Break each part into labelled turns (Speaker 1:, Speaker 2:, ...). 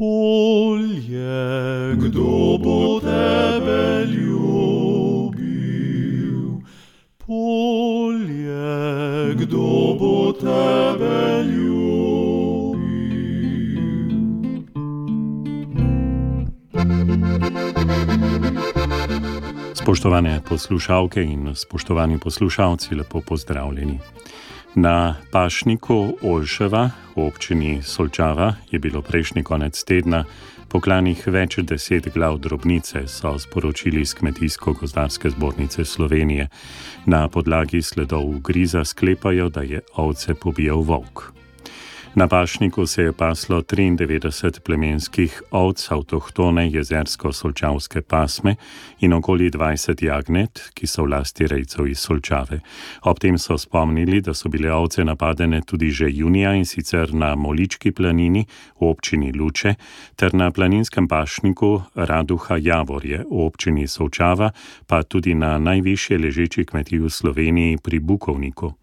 Speaker 1: Polje, kdo bo tebe ljubil? Polje, kdo bo tebe ljubil?
Speaker 2: Spoštovane poslušalke in spoštovani poslušalci, lepo pozdravljeni. Na pašniku Olševa v občini Solčava je bilo prejšnji konec tedna poklanih več 10 glav drobnice, so sporočili z Kmetijsko-gozdarske zbornice Slovenije. Na podlagi sledov ugriza sklepajo, da je ovce pobijal volk. Na pašniku se je paslo 93 plemenskih ovc avtohtone jezersko-solčavske pasme in okoli 20 jagnet, ki so v lasti rejcev iz Solčave. Ob tem so spomnili, da so bile ovce napadene tudi že junija, in sicer na Molički planini v občini Luče ter na planinskem pašniku Raduha Javorje v občini Solčava, pa tudi na najvišje ležeči kmetiji v Sloveniji pri Bukovniku.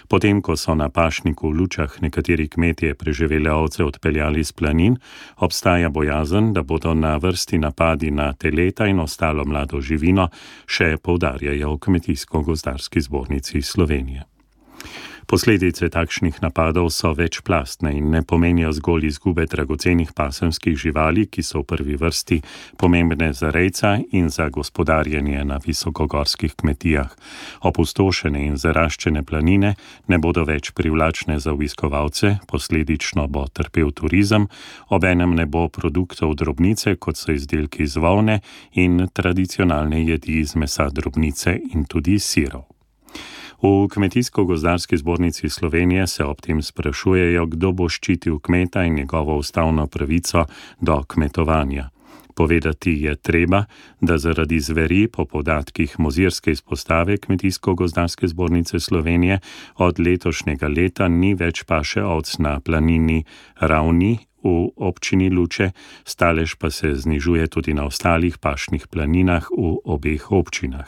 Speaker 2: Potem, ko so na pašniku v Lučah nekateri kmetje preživele ovce odpeljali z planin, obstaja bojazen, da bodo na vrsti napadi na teleta in ostalo mlado živino, še poudarjajo v Kmetijsko-gozdarski zbornici Slovenije. Posledice takšnih napadov so večplastne in ne pomenijo zgolj izgube dragocenih pasemskih živali, ki so v prvi vrsti pomembne za rejca in za gospodarjenje na visokogorskih kmetijah. Opustošene in zaraščene planine ne bodo več privlačne za obiskovalce, posledično bo trpel turizem, obenem ne bo produktov drobnice, kot so izdelki iz volne in tradicionalne jedi iz mesa drobnice in tudi sirov. V Kmetijsko-gozdarski zbornici Slovenije se ob tem sprašujejo, kdo bo ščitil kmeta in njegovo ustavno pravico do kmetovanja. Povedati je treba, da zaradi zveri po podatkih Mozirske izpostave Kmetijsko-gozdarske zbornice Slovenije od letošnjega leta ni več paše ovc na planini Ravni v občini Luče, stalež pa se znižuje tudi na ostalih pašnih planinah v obeh občinah.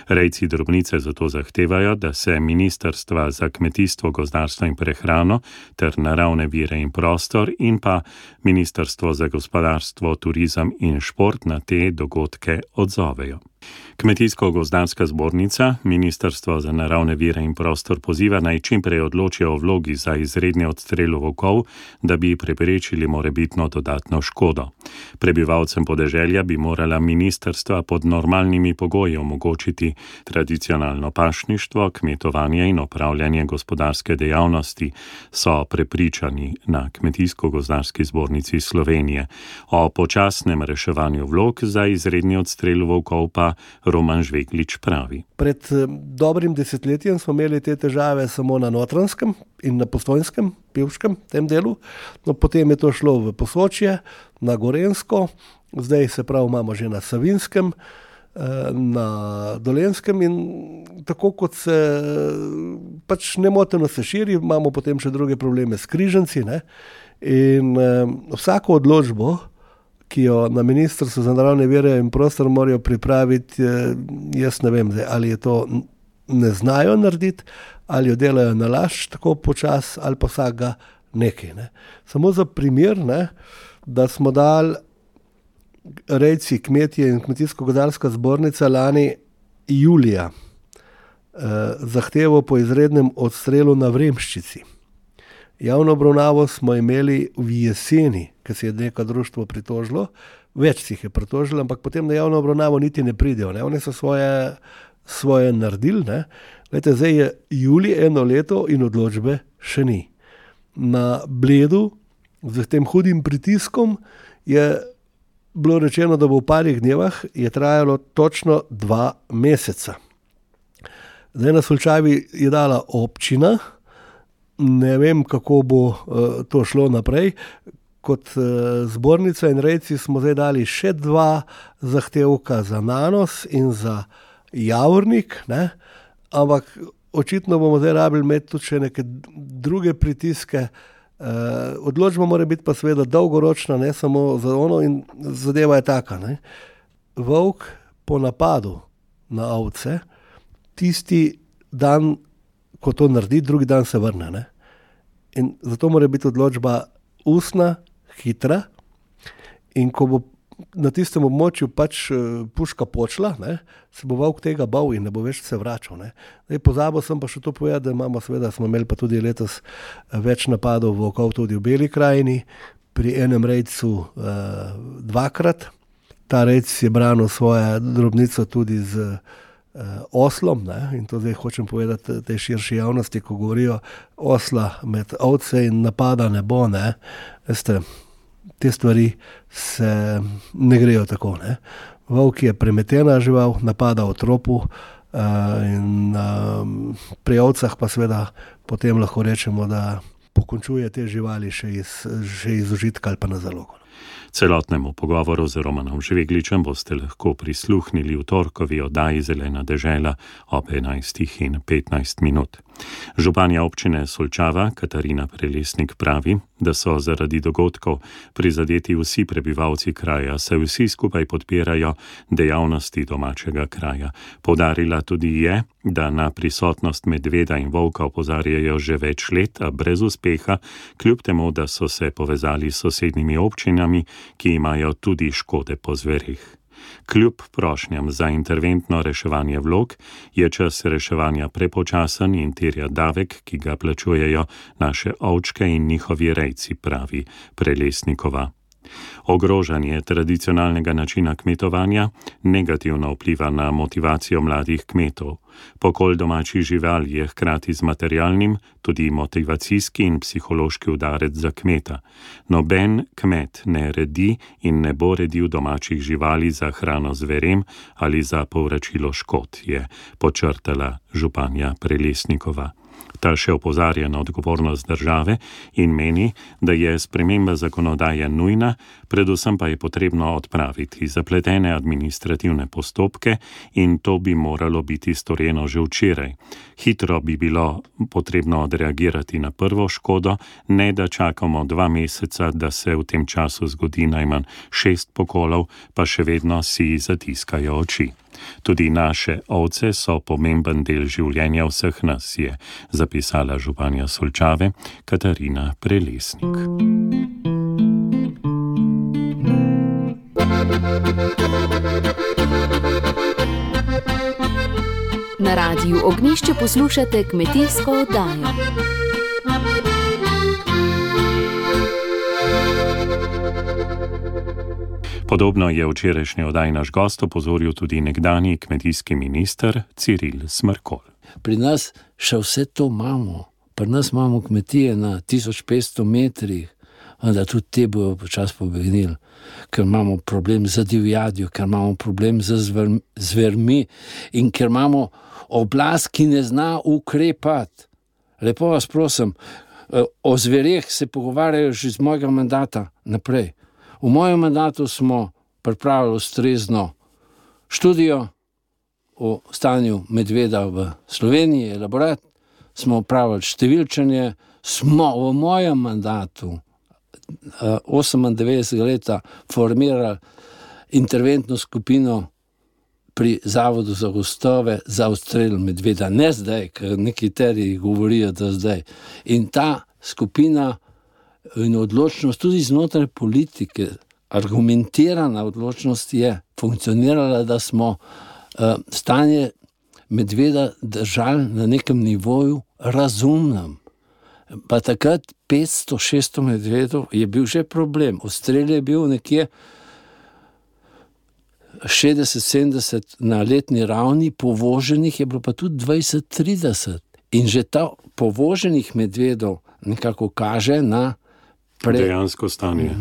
Speaker 2: Rejci drobnice zato zahtevajo, da se Ministrstva za kmetijstvo, gozdarstvo in prehrano ter naravne vire in prostor in pa Ministrstvo za gospodarstvo, turizem in šport na te dogodke odzovejo. Kmetijsko-gozdarska zbornica Ministrstvo za naravne vire in prostor poziva naj čim prej odločijo o vlogi za izredni odstrel volkov, da bi preprečili morebitno dodatno škodo. Prebivalcem podeželja bi morala ministrstva pod normalnimi pogoji omogočiti tradicionalno pašništvo, kmetovanje in opravljanje gospodarske dejavnosti, so prepričani na Kmetijsko-gozdarski zbornici Slovenije. O počasnem reševanju vlog za izredni odstrel volkov pa Roman Žveglič pravi.
Speaker 3: Pred dobrim desetletjem smo imeli te težave samo na Notranjskem in na Postojnskem, Pivškem, tem delu. No, potem je to šlo v Posočje, na Gorenjsko, zdaj se prav imamo že na Savinjskem, na Dolenjskem in tako kot se pač nemoteno se širi, imamo potem še druge probleme s križanci, ne? In vsako odločbo, ki jo na Ministrstvu za naravne vire in prostor morajo pripraviti, jaz ne vem, ali je to ne znajo narediti, ali jo delajo na laž, tako počas, ali pa vsakega nekaj. Ne. Samo za primer, ne, da smo dali rejci, kmetje in Kmetijsko-gozdarska zbornica lani julija zahtevo po izrednem odstrelu na Vremščici. Javno obravnavo smo imeli v jeseni, ker se je neko društvo pritožilo, več si jih je pritožilo, ampak potem na javno obravnavo niti ne pridejo. Ne? Oni so svoje naredili. Ne? Glejte, zdaj je julij eno leto in odločbe še ni. Na Bledu, z tem hudim pritiskom, je bilo rečeno, da bo v parih dnevah, je trajalo točno 2 meseca. Zdaj na Solčavi je dala občina, ne vem, kako bo to šlo naprej. Kot zbornica in rejci smo zdaj dali še 2 zahtevka za Nanos in za Javornik, ne? Ampak očitno bomo zdaj rabili imeti tudi še neke druge pritiske. Odločba mora biti pa seveda dolgoročna, ne samo za ono, in zadeva je taka. Ne? Volk po napadu na ovce, tisti dan, ko to naredi, drugi dan se vrne. Ne? In zato mora biti odločba ustna, hitra, In ko bo na tistem območju pač puška počla, ne, se bo volk tega bal in ne bo več se vračal. Ne. Pozabil sem pa še to povedati, da smo imeli pa tudi letos več napadov volkov tudi v Beli krajini, pri enem rejcu dvakrat. Ta rejc je branil svojo drobnico tudi z oslom, ne, in to zdaj hočem povedati tej širši javnosti, ko govorijo osla med ovce in napada ne bo, ne, veste, te stvari se ne grejo tako. Ne. Volk je premetena žival, napada v tropu in pri ovcah pa seveda potem lahko rečemo, da pokončuje te živali še iz užitka ali pa na zalogo.
Speaker 2: Celotnemu pogovoru z Romanom Žvegličem boste lahko prisluhnili v torkovi oddaji Zelena dežela ob 11:15. Županja občine Solčava Katarina Prelesnik pravi, da so zaradi dogodkov prizadeti vsi prebivalci kraja, saj vsi skupaj podpirajo dejavnosti domačega kraja. Poudarila tudi je, da na prisotnost medveda in volka opozarjajo že več let, a brez uspeha, kljub temu, da so se povezali s sosednjimi občinami, ki imajo tudi škode po zverih. Kljub prošnjam za interventno reševanje vlog je čas reševanja prepočasen in terja davek, ki ga plačujejo naše ovčke in njihovi rejci, pravi Prelesnikova. Ogrožanje tradicionalnega načina kmetovanja negativno vpliva na motivacijo mladih kmetov. Pokol domačih živali je hkrati z materialnim tudi motivacijski in psihološki udarec za kmeta. Noben kmet ne redi in ne bo redil domačih živali za hrano zverem ali za povračilo škod, je podčrtala županja Prelesnikova. Ta še opozarja na odgovornost države in meni, da je sprememba zakonodaje nujna, predvsem pa je potrebno odpraviti zapletene administrativne postopke in to bi moralo biti storjeno že včeraj. Hitro bi bilo potrebno odreagirati na prvo škodo, ne da čakamo 2 meseca, da se v tem času zgodi najmanj 6 pokolov, pa še vedno si zatiskajo oči. Tudi naše ovce so pomemben del življenja vseh nas, je zapisala županja Solčave Katarina Prelesnik.
Speaker 4: Na Radiu Ognjišče poslušate kmetijsko oddajo.
Speaker 2: Podobno je včerajšnji oddaj naš gost opozoril tudi nekdanji kmetijski minister Ciril Smrkolj.
Speaker 5: Pri nas še vse to imamo. Pri nas imamo kmetije na 1500 metrih, da tudi te bojo počas pobegnili, ker imamo problem z divjadjo, ker imamo problem z zvermi in ker imamo oblast, ki ne zna ukrepati. Lepo vas prosim, o zvereh se pogovarjajo že z mojega mandata naprej. V mojem mandatu smo pripravili ustrezno študijo o stanju medveda v Sloveniji, elaborat, smo opravili številčenje, smo v mojem mandatu 98 leta formirali interventno skupino pri Zavodu za gozdove za odstrel medveda. Ne zdaj, ker nekateri govorijo, da zdaj. In ta skupina in odločnost tudi znotraj politike, argumentirana odločnost je funkcionirala, da smo stanje medveda držali na nekem nivoju razumnem. Pa takrat 500-600 medvedov je bil že problem. Odstrel je bil nekje 60-70 na letni ravni, povoženih je bilo pa tudi 20-30. In že ta povoženih medvedov nekako kaže na
Speaker 2: dejansko stanje.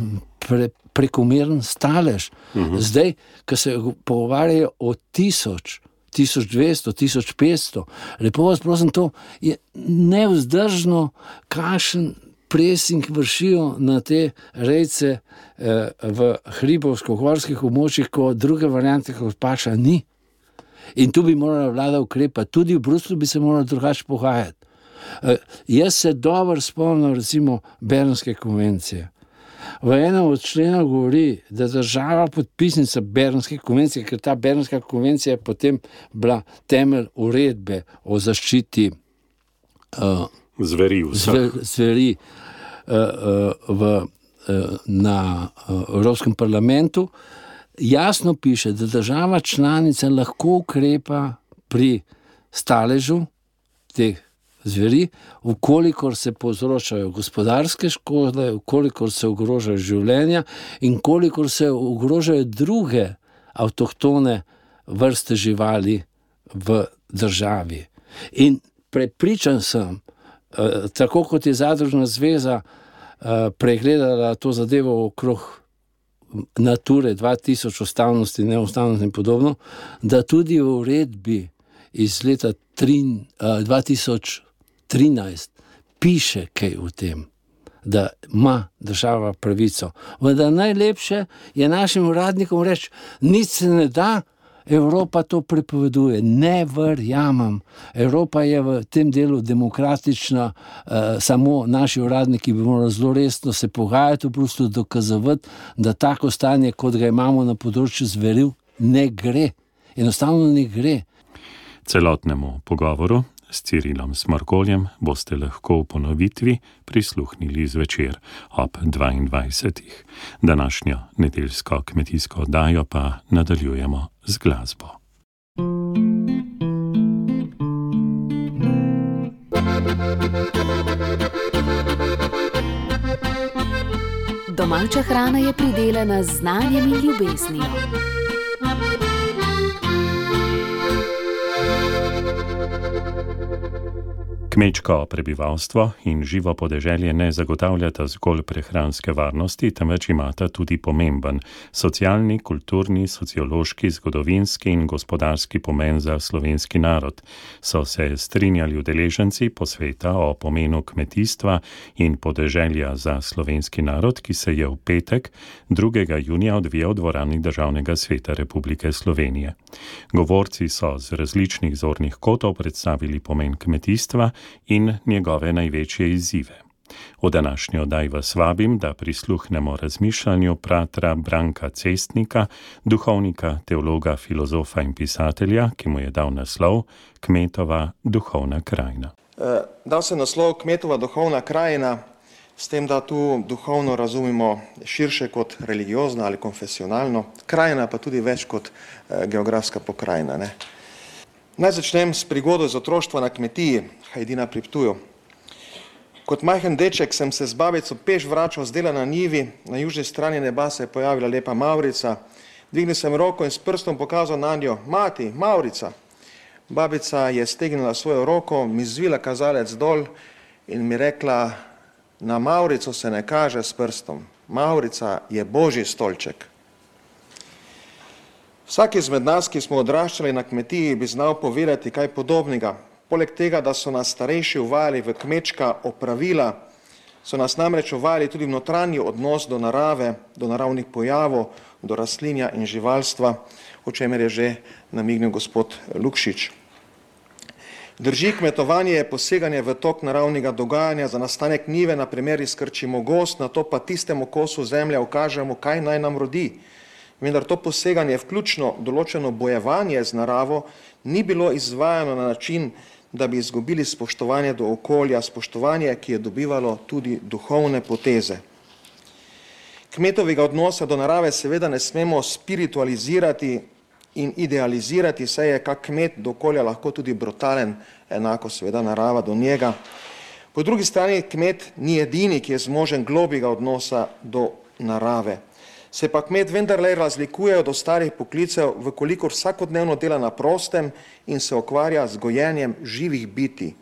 Speaker 5: Prekomeren stalež. Zdaj, ko se pogovarjajo o 1000, 1200, 1500, lepo vas prosim, to je nevzdržno, kakšen presing vršijo na te rejce v hribovsko-gorskih območjih, ko druge variante kot paša ni. In tu bi morala vlada ukrepati. Tudi v Bruslju bi se morala drugače pogajati. Jaz se dobro spomnim recimo Bernske konvencije. V enem od členov govori, da država podpisnica Bernske konvencije, ker ta Bernska konvencija je potem bila temelj uredbe o zaščiti zveri v na Evropskem parlamentu, jasno piše, da država članica lahko ukrepa pri staležu teh zveri, vkolikor se povzročajo gospodarske škode, vkolikor se ogrožajo življenja in kolikor se ogrožajo druge avtohtone vrste živali v državi. In prepričan sem, tako kot je Zadružna zveza pregledala to zadevo okrog Nature 2000, ustavnosti, neustavnosti in podobno, da tudi v uredbi iz leta 2013 piše kaj o tem, da ima država pravico. Vendar najlepše je našim uradnikom reči, nič se ne da, Evropa to prepoveduje. Ne verjamem. Evropa je v tem delu demokratična, samo naši uradniki bi morali zelo resno se pogajati v Bruslju, dokazovati, da tako stanje, kot ga imamo na področju zveri, ne gre. Enostavno ne gre.
Speaker 2: Celotnemu pogovoru s Cirilom Smrkoljem boste lahko v ponovitvi prisluhnili zvečer ob 22. Današnjo nedeljsko kmetijsko oddajo pa nadaljujemo z glasbo.
Speaker 4: Domača hrana je pridelana z znanjem in ljubeznijo.
Speaker 2: Kmečko prebivalstvo in živo podeželje ne zagotavljata zgolj prehranske varnosti, temveč imata tudi pomemben socialni, kulturni, sociološki, zgodovinski in gospodarski pomen za slovenski narod. So se strinjali udeleženci posveta o pomenu kmetijstva in podeželja za slovenski narod, ki se je v petek 2. junija odvijal v dvorani Državnega sveta Republike Slovenije. Govorci so z različnih zornih kotov predstavili pomen kmetijstva in njegove največje izzive. V današnjo oddaji vas vabim, da prisluhnemo razmišljanju bratra Branka Cestnika, duhovnika, teologa, filozofa in pisatelja, ki mu je dal naslov Kmetova duhovna krajina.
Speaker 6: Dal se naslov Kmetova duhovna krajina, s tem, da tu duhovno razumemo širše kot religiozno ali konfesionalno, krajina pa tudi več kot geografska pokrajina, ne. Naj začnem s prigodo iz otroštva na kmetiji, Hajdina pri Ptuju. Kot majhen deček sem se z babico peš vračal z dela na njivi, na južni strani neba se je pojavila lepa mavrica. Dvignil sem roko in s prstom pokazal na njo, mati, mavrica. Babica je stegnila svojo roko, mi zvila kazalec dol in mi rekla, na mavrico se ne kaže s prstom, mavrica je Božji stolček. Vsak izmed nas, ki smo odraščali na kmetiji, bi znal povedati kaj podobnega. Poleg tega, da so nas starejši uvajali v kmečka opravila, so nas namreč uvajali tudi v notranji odnos do narave, do naravnih pojavov, do rastlinja in živalstva, o čemer je že namignil gospod Lukšič. Drži, kmetovanje je poseganje v tok naravnega dogajanja, za nastanek njive, na primer izkrčimo gozd, nato pa tistemu kosu zemlje ukažemo, kaj naj nam rodi. Vendar to poseganje, vključno določeno bojevanje z naravo, ni bilo izvajano na način, da bi izgubili spoštovanje do okolja, spoštovanje, ki je dobivalo tudi duhovne poteze. Kmetovega odnosa do narave seveda ne smemo spiritualizirati in idealizirati, saj je kak kmet do okolja lahko tudi brutalen, enako seveda narava do njega. Po drugi strani kmet ni edini, ki je zmožen globjega odnosa do narave. Se pa kmet vendarle razlikuje od ostalih poklicev, vkolikor vsakodnevno dela na prostem in se ukvarja z gojenjem živih bitij.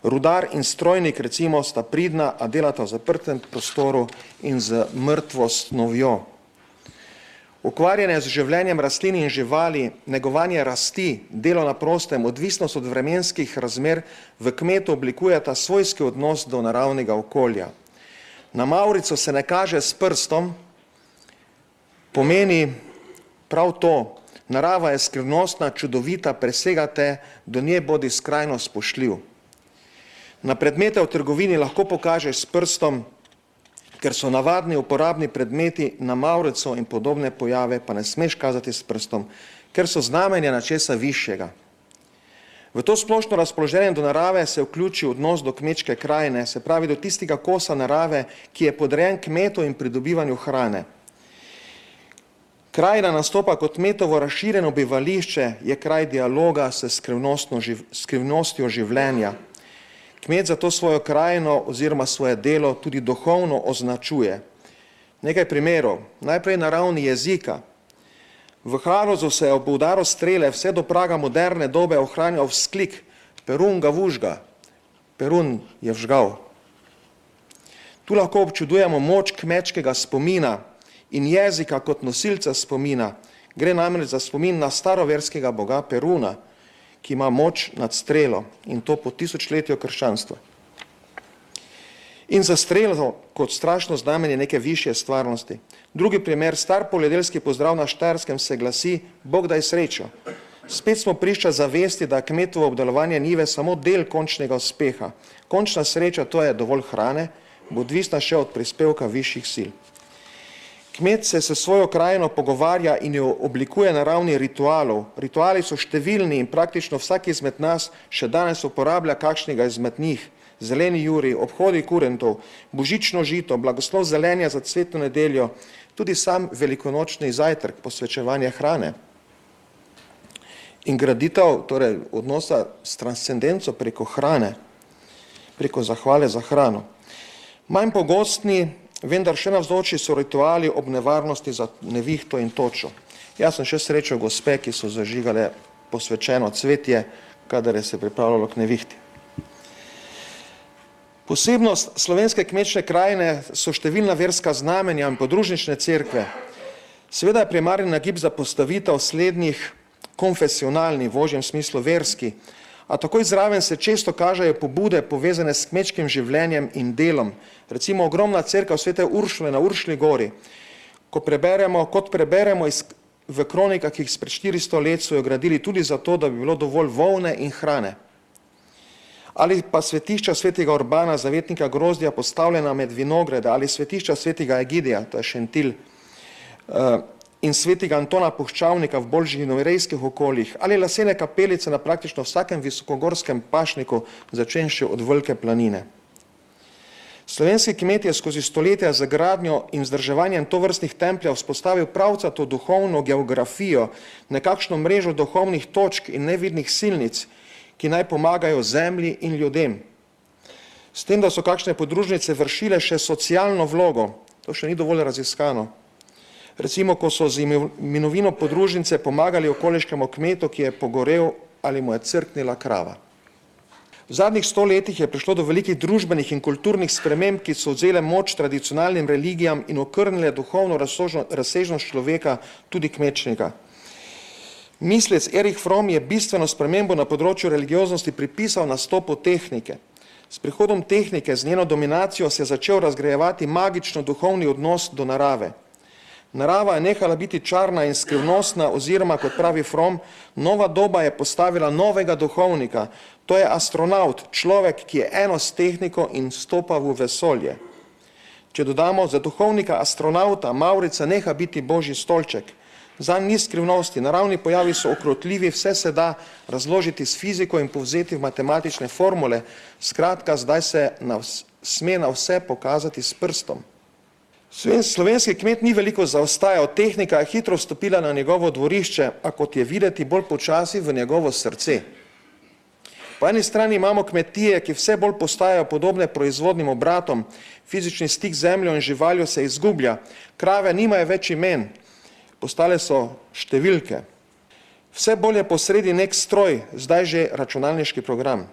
Speaker 6: Rudar in strojnik recimo sta pridna, a delata v zaprtem prostoru in z mrtvo snovjo. Ukvarjanje z življenjem rastlin in živali, negovanje rasti, delo na prostem, odvisnost od vremenskih razmer v kmetu oblikujeta svojski odnos do naravnega okolja. Na mavrico se ne kaže s prstom, pomeni prav to, narava je skrivnostna, čudovita, presegate, do nje bodi skrajno spoštljiv. Na predmete v trgovini lahko pokažeš s prstom, ker so navadni uporabni predmeti, na mavrico in podobne pojave pa ne smeš kazati s prstom, ker so znamenja nečesa višjega. V to splošno razpoloženje do narave se vključi odnos do kmečke krajine, se pravi do tistega kosa narave, ki je podrejen kmetu in pridobivanju hrane. Krajina nastopa kot kmetovo razširjeno bivališče, je kraj dialoga s skrivnostjo življenja. Kmet zato svojo krajino oziroma svoje delo tudi duhovno označuje. Nekaj primerov. Najprej na ravni jezika. V Halozu se je ob udaru strele vse do praga moderne dobe ohranjal vzklik Perun ga vužga, Perun je vžgal. Tu lahko občudujemo moč kmečkega spomina in jezika kot nosilca spomina. Gre namreč za spomin na staroverskega boga Peruna, ki ima moč nad strelo in to po tisočletju krščanstva. In za strelo kot strašno znamenje neke višje stvarnosti. Drugi primer, star poljedelski pozdrav na Štajerskem se glasi Bog daj srečo. Spet smo priča zavesti, da kmetovo obdelovanje njive samo del končnega uspeha. Končna sreča, to je dovolj hrane, bo odvisna še od prispevka višjih sil. Kmet se s svojo krajino pogovarja in jo oblikuje na ravni ritualov. Rituali so številni in praktično vsak izmed nas še danes uporablja kakšnega izmed njih. Zeleni juri, obhodi kurentov, božično žito, blagoslov zelenja za cvetno nedeljo, tudi sam velikonočni zajtrk, posvečevanje hrane. In graditev, torej odnosa s transcendenco preko hrane, preko zahvale za hrano. Manj pogostni, vendar še navzoči so rituali ob nevarnosti za nevihto in točo. Jaz sem še srečal gospe, ki so zažigale posvečeno cvetje, kadar je se pripravljalo k nevihti. Posebnost slovenske kmečne krajine so številna verska znamenja in podružnične cerkve. Seveda je primarni nagib za postavitev slednjih konfesionalni, v ožjem smislu verski, a takoj zraven se često kažejo pobude povezane s kmečkim življenjem in delom. Recimo ogromna cerkev Svete Uršule na Uršli gori. Kot preberemo v kronikah, ki jih pred 400 let so jo gradili tudi zato, da bi bilo dovolj volne in hrane. Ali pa svetišča svetega Urbana, zavetnika grozdja, postavljena med vinograde, ali svetišča svetega Egidija, to je Šentilj, in svetega Antona Puščavnika v bolj živinorejskih okoljih, ali lesene kapelice na praktično vsakem visokogorskem pašniku, začenši od Velike planine. Slovenski kmet je skozi stoletja z gradnjo in vzdrževanjem tovrstnih templjev vzpostavil pravcato duhovno geografijo, nekakšno mrežo duhovnih točk in nevidnih silnic, ki naj pomagajo zemlji in ljudem. S tem, da so kakšne podružnice vršile še socialno vlogo, to še ni dovolj raziskano. Recimo, ko so z imenovino podružnice pomagali okoliškemu kmetu, ki je pogorel ali mu je crknila krava. V zadnjih 100 letih je prišlo do velikih družbenih in kulturnih sprememb, ki so vzele moč tradicionalnim religijam in okrnile duhovno razsežnost človeka, tudi kmečnika. Mislec Erich Fromm je bistveno spremembo na področju religioznosti pripisal nastopu tehnike. S prihodom tehnike, z njeno dominacijo, se je začel razgrajevati magično duhovni odnos do narave. Narava je nehala biti čarna in skrivnostna oziroma, kot pravi Fromm, nova doba je postavila novega duhovnika. To je astronaut, človek, ki je eno s tehniko in stopa v vesolje. Če dodamo, za duhovnika astronauta Mavrica neha biti božji stolček. Zanj ni skrivnosti, naravni pojavi so okrotljivi, vse se da razložiti s fiziko in povzeti v matematične formule. Skratka, zdaj se sme na vse pokazati s prstom. Slovenski kmet ni veliko zaostajal, tehnika je hitro vstopila na njegovo dvorišče, a kot je videti bolj počasi v njegovo srce. Po eni strani imamo kmetije, ki vse bolj postajajo podobne proizvodnim obratom, fizični stik z zemljo in živaljo se izgublja, krave nimajo več imen, postale so številke. Vse bolj je posredi nek stroj, zdaj že računalniški program.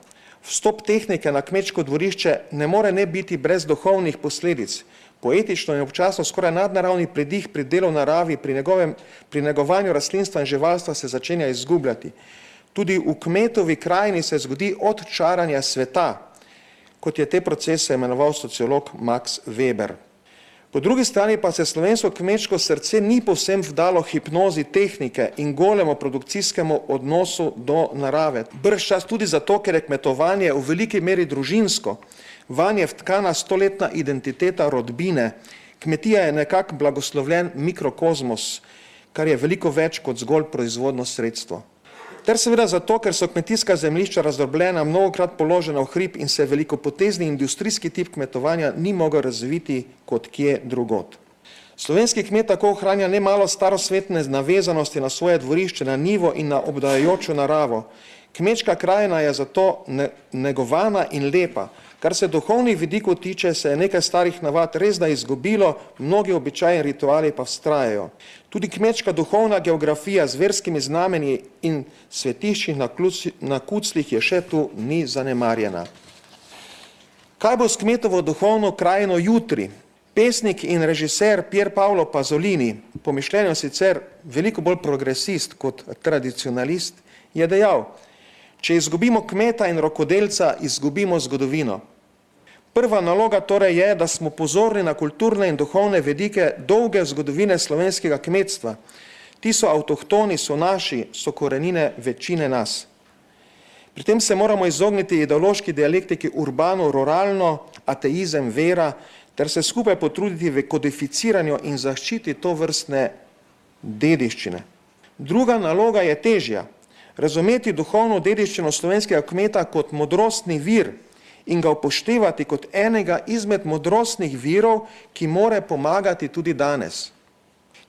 Speaker 6: Vstop tehnike na kmečko dvorišče ne more ne biti brez duhovnih posledic. Poetično in občasno skoraj nadnaravni pridih pri delu v naravi, pri negovanju rastlinstva in živalstva se začenja izgubljati. Tudi v kmetovi krajini se zgodi odčaranje sveta, kot je te procese imenoval sociolog Max Weber. Po drugi strani pa se slovensko kmečko srce ni povsem vdalo hipnozi tehnike in golemu produkcijskemu odnosu do narave. Bržčas tudi zato, ker je kmetovanje v veliki meri družinsko, vanje vtkana stoletna identiteta rodbine. Kmetija je nekak blagoslovljen mikrokozmos, kar je veliko več kot zgolj proizvodno sredstvo. Ter seveda zato, ker so kmetijska zemljišča razdrobljena, mnogokrat položena v hrib in se velikopotezni industrijski tip kmetovanja ni mogel razviti kot kje drugod. Slovenski kmet tako ohranja nemalo starosvetne navezanosti na svoje dvorišče, na njivo in na obdajajočo naravo. Kmečka krajina je zato negovana in lepa. Kar se duhovnih vidikov tiče, se je nekaj starih navad res da izgubilo, mnogi običaji in rituali pa vztrajajo. Tudi kmečka duhovna geografija z verskimi znamenji in svetišči na kuclih je še tu ni zanemarjena. Kaj bo s kmetovo duhovno krajino jutri? Pesnik in režiser Pier Paolo Pasolini, po mišljenju sicer veliko bolj progresist kot tradicionalist, je dejal: če izgubimo kmeta in rokodelca, izgubimo zgodovino. Prva naloga torej je, da smo pozorni na kulturne in duhovne vedike dolge zgodovine slovenskega kmetstva. Ti so avtohtoni, so naši, so korenine večine nas. Pri tem se moramo izogniti ideološki dialektiki urbano-ruralno, ateizem, vera, ter se skupaj potruditi v kodificiranju in zaščiti to vrstne dediščine. Druga naloga je težja. Razumeti duhovno dediščino slovenskega kmeta kot modrostni vir in ga upoštevati kot enega izmed modrostnih virov, ki more pomagati tudi danes.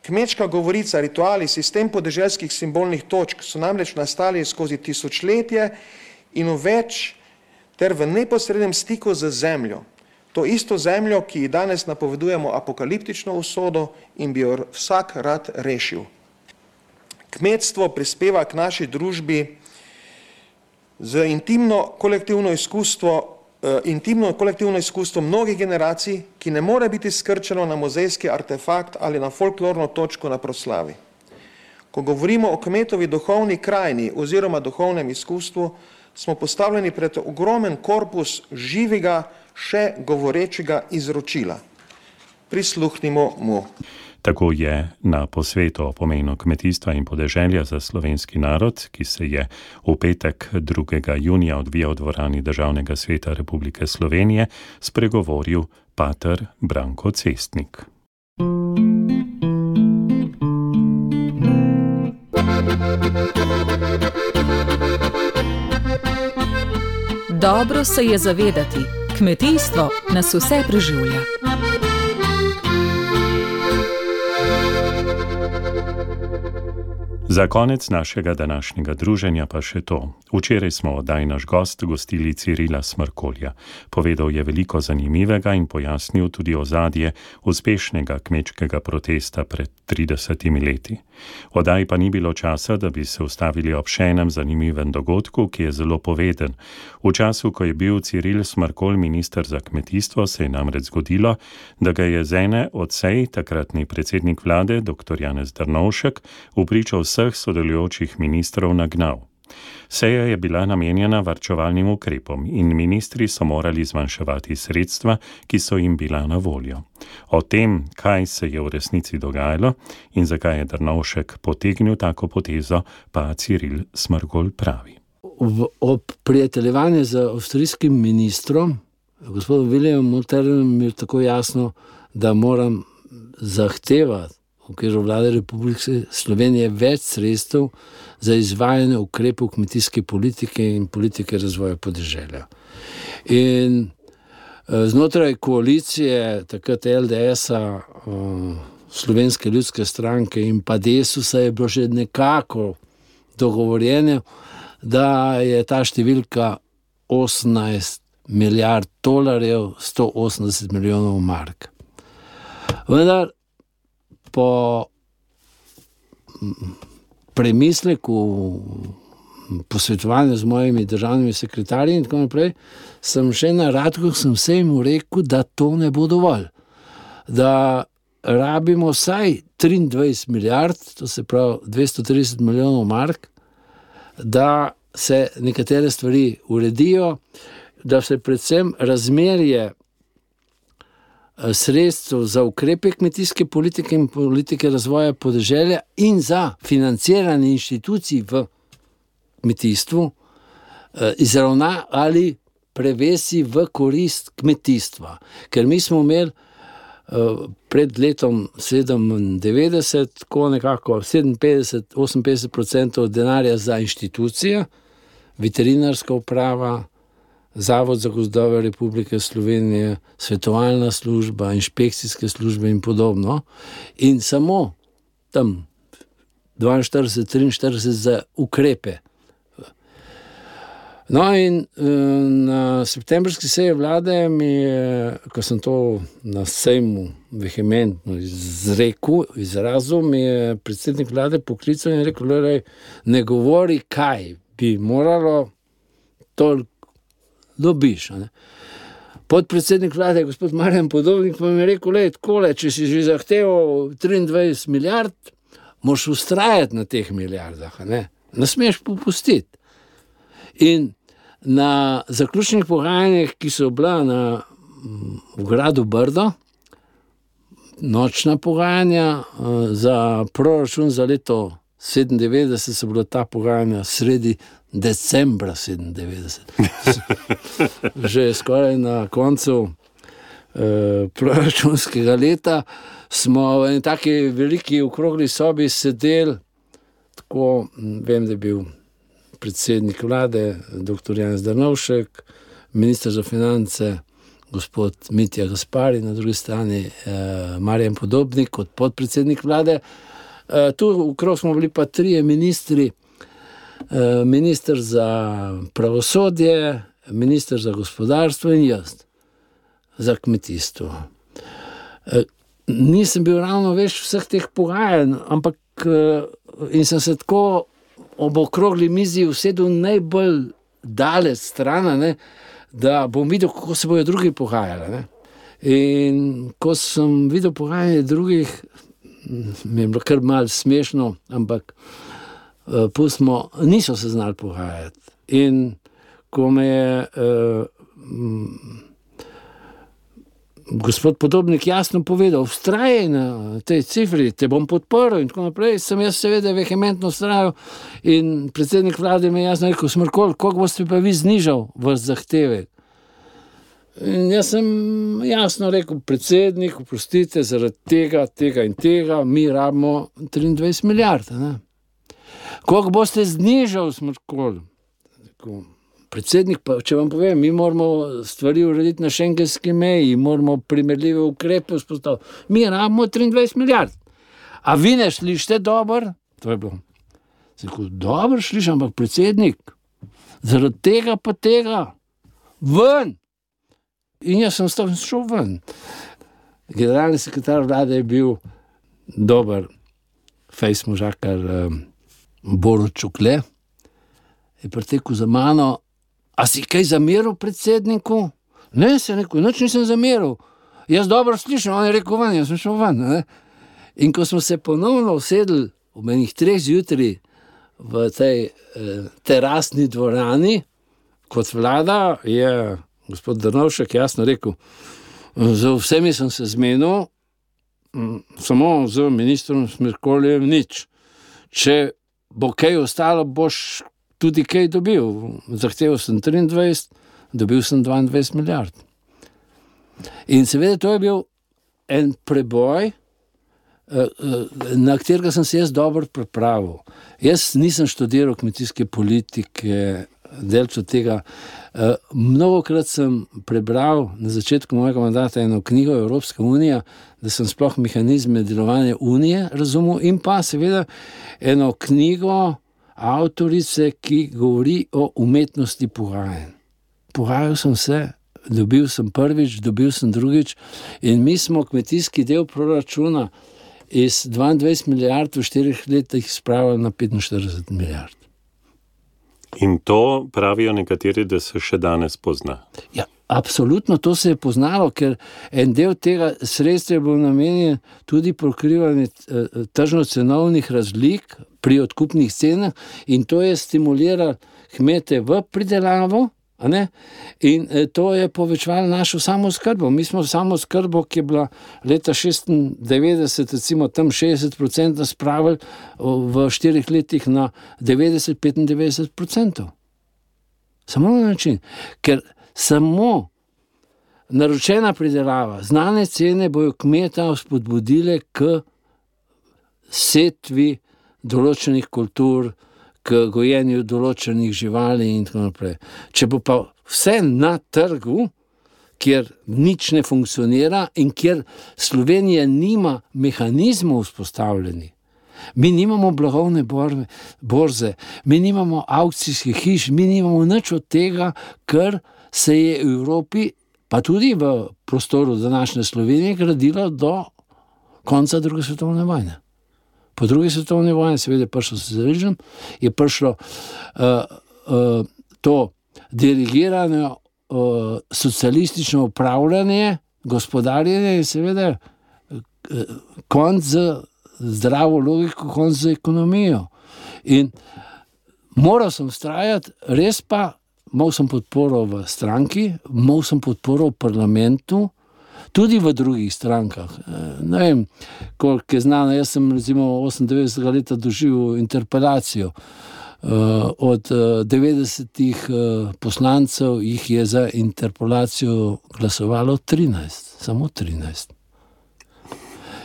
Speaker 6: Kmečka govorica, rituali, sistem podeželskih simbolnih točk so namreč nastali skozi tisočletje in več ter v neposrednem stiku z zemljo. To isto zemljo, ki ji danes napovedujemo apokaliptično usodo in bi jo vsak rad rešil. Kmetstvo prispeva k naši družbi z intimno kolektivno izkustvo mnogih generacij, ki ne more biti skrčeno na muzejski artefakt ali na folklorno točko na proslavi. Ko govorimo o kmetovi duhovni krajini oziroma duhovnem izkustvu, smo postavljeni pred ogromen korpus živega, še govorečega izročila. Prisluhnimo mu.
Speaker 2: Tako je na posvetu o pomenu kmetijstva in podeželja za slovenski narod, ki se je v petek 2. junija odvijal v dvorani Državnega sveta Republike Slovenije, spregovoril pater Branko Cestnik.
Speaker 7: Dobro se je zavedati, kmetijstvo nas vse preživlja.
Speaker 2: Za konec našega današnjega druženja pa še to. Včeraj smo oddaj naš gost gostili Cirila Smrkolja. Povedal je veliko zanimivega in pojasnil tudi ozadje uspešnega kmečkega protesta pred 30 leti. Oddaj pa ni bilo časa, da bi se ustavili ob še enem zanimivem dogodku, ki je zelo poveden. V času, ko je bil Ciril Smrkolj minister za kmetijstvo, se je namreč zgodilo, da ga je z ene od sej takratni predsednik vlade, dr. Janez Drnovšek, vpričo vseh sodelujočih ministrov nagnal. Seja je bila namenjena varčevalnim ukrepom in ministri so morali zmanjševati sredstva, ki so jim bila na voljo. O tem, kaj se je v resnici dogajalo in zakaj je Drnovšek potegnil tako potezo, pa Ciril Smrkolj pravi.
Speaker 5: Ob prijateljevanju z avstrijskim ministrom, gospodom Wilhelmom Molterem, mi je tako jasno, da moram zahtevati v okviru vlade Republike Slovenije več sredstev za izvajanje ukrepov kmetijske politike in politike razvoja podeželja. In znotraj koalicije, takrat LDS-a, Slovenske ljudske stranke in pa Desusa je bilo že nekako dogovorjeno, da je ta številka 18 milijard dolarjev, 180 milijonov mark. Vendar po premisleku, posvetovanju z mojimi državnimi sekretarji in tako naprej, sem še na Radku sem mu rekel, da to ne bo dovolj. Da rabimo vsaj 23 milijard, to se pravi 230 milijonov mark, da se nekatere stvari uredijo, da se predvsem razmerje sredstev za ukrepe kmetijske politike in politike razvoja podeželja in za financiranje inštitucij v kmetijstvu izravna ali prevesi v korist kmetijstva. Ker mi smo imeli pred letom 97, tako nekako 57-58% denarja za inštitucije, veterinarska uprava, Zavod za gozdove Republike Slovenije, svetovalna služba, inšpekcijske službe in podobno. In samo tam 42-43 za ukrepe. No in na septembrski seji vlade mi je, ko sem to na sejmu vehementno izrazil, mi je predsednik vlade poklical in rekel, ne govori, kaj bi moralo, toliko dobiš. Ne? Podpredsednik vlade, gospod Marjan Podobnik, pa mi je rekel, takole, če si že zahteval 23 milijard, moraš ustrajati na teh milijardah, ne smeš popustiti. In na zaključnih pogajanjih, ki so bila v gradu Brdo, nočna pogajanja za proračun za leto 97, so bila ta pogajanja sredi decembra 97. Že skoraj na koncu proračunskega leta smo v eni taki veliki okrogli sobi sedeli, tako vem, da je bil predsednik vlade, dr. Janez Drnovšek, minister za finance, gospod Mitja Gaspari, na drugi strani Marjan Podobnik kot podpredsednik vlade. Tu okrog smo bili pa trije ministri, minister za pravosodje, minister za gospodarstvo in jaz za kmetijstvo. Nisem bil ravno več vseh teh pogajanj, ampak in sem se tako ob okrogli mizi usedel najbolj daleč stran, da bom videl, kako se bojo drugi pogajali. Ne. In ko sem videl pogajanje drugih, mi je bilo kar malo smešno, ampak pustimo, niso se znali pogajati. In ko me je gospod Podobnik jasno povedal, vztrajaj na tej cifri, te bom podprl in tako naprej, sem jaz seveda vehementno vztrajal in predsednik vlade mi je jasno rekel, Smrkolj, koliko boste pa vi znižal vaš zahtevek? In jaz sem jasno rekel, predsednik, oprostite, zaradi tega in tega, mi rabimo 23 milijard. Ne? Koliko boste znižal, Smrkolj? Predsednik, pa če vam povem, mi moramo stvari urediti na šengenski meji, moramo primerljive ukrepe vzpostaviti. Mi rabimo 23 milijard. A vi ne slišite dobro? To je bilo. Dobro slišim, ampak predsednik, zaradi tega pa tega, ven. In jaz sem šel ven. Generalni sekretar vlade je bil dober fejs možakar Borut Čukle. Je pretekel za mano, a si kaj zameril predsedniku? Ne, se je rekel, nič nisem zameril. Jaz dobro slišim, on je rekel ven, jaz sem šel ven. Ne? In ko smo se ponovno usedli ob enih 3 zjutraj v tej terasni dvorani, kot vlada, je gospod Drnovšek jasno rekel, z vsemi sem se zmenil, samo z ministrom Smrkoljem nič. Če bo kaj ostalo, boš tudi kaj dobil. Zahteval sem 23, dobil sem 22 milijard. In seveda to je bil en preboj, na katerega sem se jaz dobro pripravil. Jaz nisem študiral kmetijske politike, delč od tega. Mnogokrat sem prebral na začetku mojega mandata eno knjigo Evropska unija, da sem sploh mehanizme delovanja unije razumel, in pa seveda eno knjigo avtorice, ki govori o umetnosti pogajanj. Pogajal sem se, dobil sem prvič, dobil sem drugič in mi smo kmetijski del proračuna iz 22 milijard v 4 letih spravili na 45 milijard.
Speaker 2: In to pravijo nekateri, da se še danes pozna.
Speaker 5: Ja, absolutno to se je poznalo, ker en del tega sredstva je bil namenjen tudi pokrivanje tržno-cenovnih razlik pri odkupnih cenah in to je stimuliralo kmete v pridelavo, in to je povečevalo našo samooskrbo. Mi smo samooskrbo, ki je bila leta 96, recimo tam 60% spravili v 4 letih na 90-95%. Samo na način, ker samo naročena pridelava, znane cene bojo kmeta spodbudile k setvi določenih kultur, k gojenju določenih živali in tako naprej. Če bo pa vse na trgu, kjer nič ne funkcionira in kjer Slovenija nima mehanizmov vzpostavljenih, mi nimamo blagovne borze, mi nimamo aukcijskih hiš, mi nimamo nič od tega, kar se je v Evropi, pa tudi v prostoru današnje Slovenije, gradilo do konca druge svetovne vojne. Po drugi svetovni vojni seveda je prišlo socializem, je prišlo to dirigirano socialistično upravljanje, gospodarjenje in seveda konc z zdravo logiko, konc z ekonomijo. In moral sem vztrajati, res pa imel sem podporo v stranki, imel sem podporo v parlamentu, tudi v drugih strankah. Ne vem, koliko je znano, jaz sem recimo 98. leta doživel interpelacijo. Od 90 poslancev jih je za interpelacijo glasovalo 13, samo 13.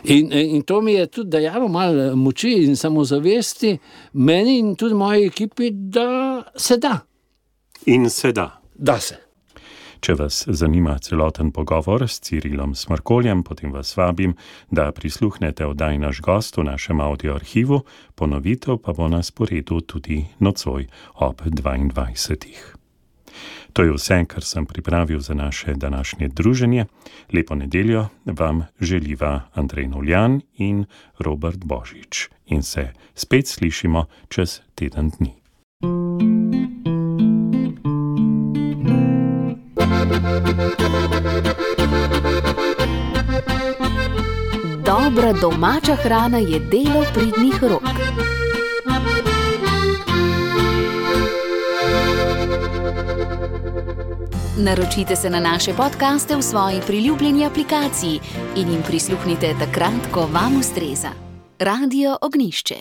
Speaker 5: In to mi je tudi dajalo malo moči in samozavesti meni in tudi moji ekipi, da se da.
Speaker 2: In se da.
Speaker 5: Da se.
Speaker 2: Če vas zanima celoten pogovor s Cirilom Smrkoljem, potem vas vabim, da prisluhnete oddaji Naš gost v našem audioarhivu, ponovitev pa bo na sporedu tudi nocoj ob 22. To je vse, kar sem pripravil za naše današnje druženje. Lepo nedeljo vam želiva Andrej Noljan in Robert Božič. In se spet slišimo čez teden dni.
Speaker 4: Dobra domača hrana je delo pridnih rok. Naročite se na naše podcaste v svoji priljubljeni aplikaciji in jim prisluhnite takrat, ko vam ustreza. Radio Ognjišče.